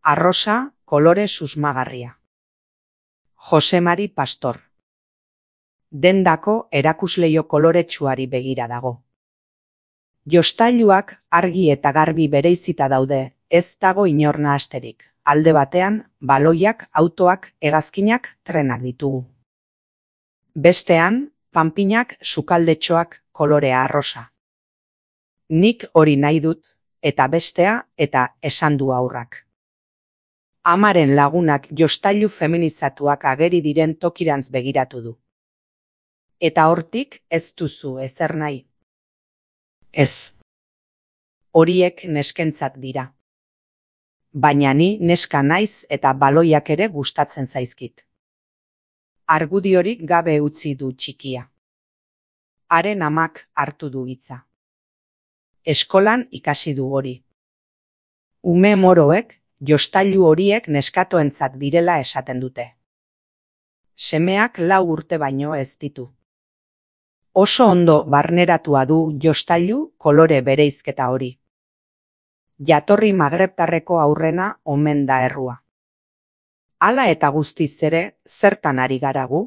Arrosa, kolore susmagarria. Jose Mari Pastor. Dendako erakusleio koloretsuari begira dago. Jostailuak argi eta garbi bereizita daude, ez dago inor nahasterik. Alde batean, baloiak, autoak, hegazkinak, trenak ditugu. Bestean, panpinak, sukaldetxoak, kolorea arrosa. Nik hori nahi dut, eta bestea, eta esan du haurrak. Amaren lagunak jostailu feminizatuak ageri diren tokirantz begiratu du. Eta hortik ez duzu ezer nahi. Ez. Horiek neskentzat dira. Baina ni neska naiz eta baloiak ere gustatzen zaizkit. Argudiorik gabe utzi du txikia. Haren amak hartu du hitza. Eskolan ikasi du hori. Ume moroek jostailu horiek neskatoentzat direla esaten dute. Semeak 4 urte baino ez ditu. Oso ondo barneratua du jostailu kolore bereizketa hori. Jatorri magrebtarreko aurrena omen da errua. Hala eta guztiz ere, zertan ari gara gu?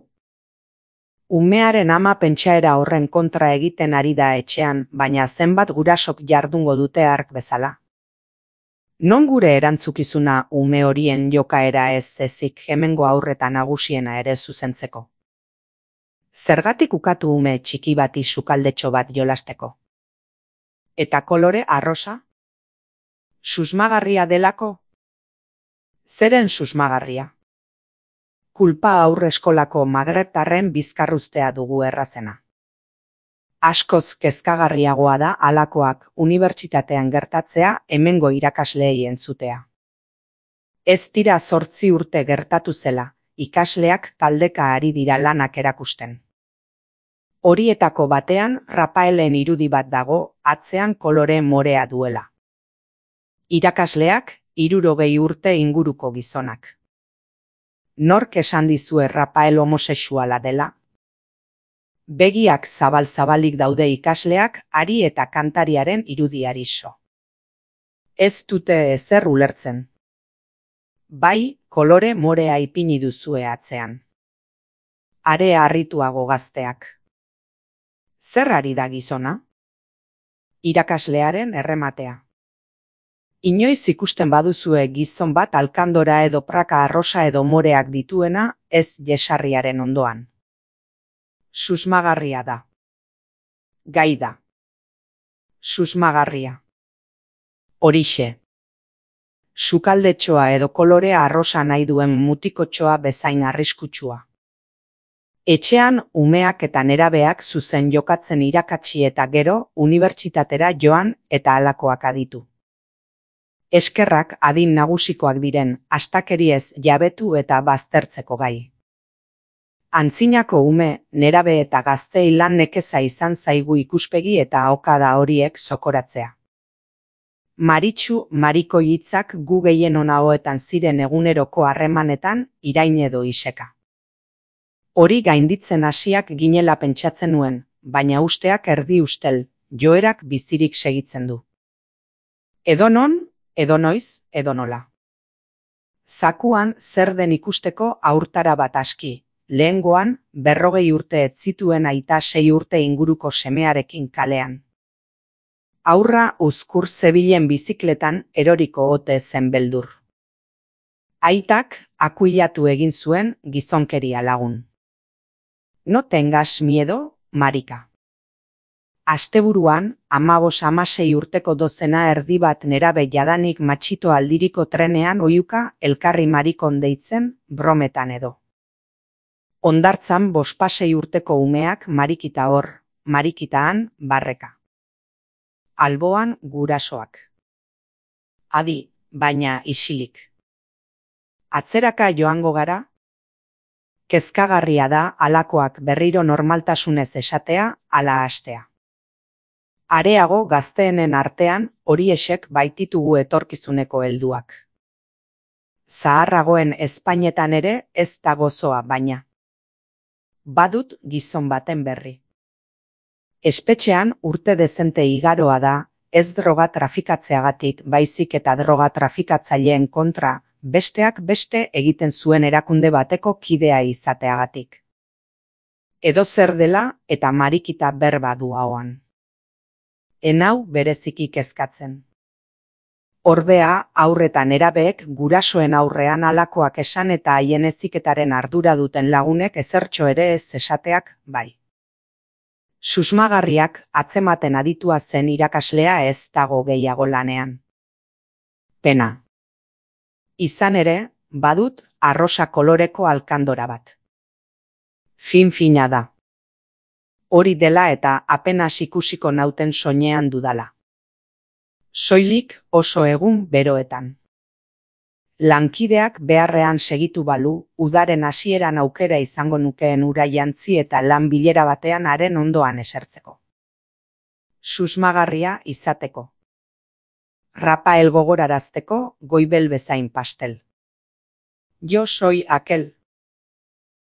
Umearen ama pentsaera horren kontra egiten ari da etxean, baina zenbat gurasok jardungo dute hark bezala. Non gure erantzukizuna ume horien jokaera ez ezik hemengo aurreta nagusiena ere zuzentzeko? Zergatik ukatu ume txiki bati sukaldetxo bat jolasteko? Eta kolore arrosa? Susmagarria delako? Zeren susmagarria? Kulpa aurreskolako magrebtarren bizkarruztea dugu errazena. Askoz kezkagarriagoa da halakoak unibertsitatean gertatzea hemengo irakasleei entzutea. Ez dira 8 urte gertatu zela, ikasleak taldeka ari dira lanak erakusten. Horietako batean Rafaelen irudi bat dago, atzean kolore morea duela. Irakasleak 60 urte inguruko gizonak. Nork esan dizue Rafael homosexuala dela? Begiak zabal-zabalik daude ikasleak ari eta kantariaren irudiari so. Ez dute ezer ulertzen. Bai, kolore morea ipini duzue atzean. Are harrituago gazteak. Zer ari da gizona? Irakaslearen errematea. Inoiz ikusten baduzue gizon bat alkandora edo praka arrosa edo moreak dituena, ez jesarriaren ondoan. Susmagarria da. Gai da. Susmagarria. Horixe. Sukaldetxoa edo kolorea arrosa nahi duen mutikotxoa bezain arriskutsua. Etxean umeak eta nerabeak zuzen jokatzen irakatsi eta gero unibertsitatera joan eta halakoak aditu. Eskerrak adin nagusikoak diren astakeriez jabetu eta baztertzeko gai. Antzinako ume, nerabe eta gaztei lan nekeza izan zaigu ikuspegi eta ahokada horiek zokoratzea. Maritxu mariko hitzak gu gehien onagoetan ziren eguneroko harremanetan irain edo iseka. Hori gainditzen hasiak ginela pentsatzen nuen, baina usteak erdi ustel, joerak bizirik segitzen du. Edonon, edonoiz, edonola. Zakuan zer den ikusteko aurtara bat aski. Lehengoan, 40 urte ez zituen aita 6 urte inguruko semearekin kalean. Aurra uzkur zebilen bizikletan eroriko ote zen beldur. Aitak akuilatu egin zuen gizonkeria lagun. No tengas miedo, marika. Asteburuan, 15-16 urteko dozena erdi bat nerabe jadanik matxito aldiriko trenean oiuka elkarri marikon deitzen brometan edo. Hondartzan 5-6 urteko umeak marikita hor, marikitaan barreka. Alboan gurasoak. Adi, baina isilik. Atzeraka joango gara? Kezkagarria da halakoak berriro normaltasunez esatea ala hastea. Areago gazteenen artean horiexek baititugu etorkizuneko helduak. Zaharragoen Espainetan ere ez da gozoa baina. Badut gizon baten berri. Espetxean urte dezente igaroa da, ez droga trafikatzeagatik baizik eta droga trafikatzaileen kontra besteak beste egiten zuen erakunde bateko kidea izateagatik. Edozer dela eta marikita berba du ahoan. Enau bereziki kezkatzen. Ordea, haurreta nerabeek gurasoen aurrean halakoak esan eta haien heziketaren ardura duten lagunek ezertxo ere ez esateak bai. Susmagarriak atzematen aditua zen irakaslea ez dago gehiago lanean. Pena. Izan ere, badut arrosa koloreko alkandora bat. Fin-fina da. Hori dela eta apenas ikusiko nauten soinean dudala. Soilik oso egun beroetan. Lankideak beharrean segitu balu, udaren hasieran aukera izango nukeen ura jantzi eta lan bilera batean haren ondoan esertzeko. Susmagarria izateko. Rapael gogorarazteko goibel bezain pastel. Yo soy aquel,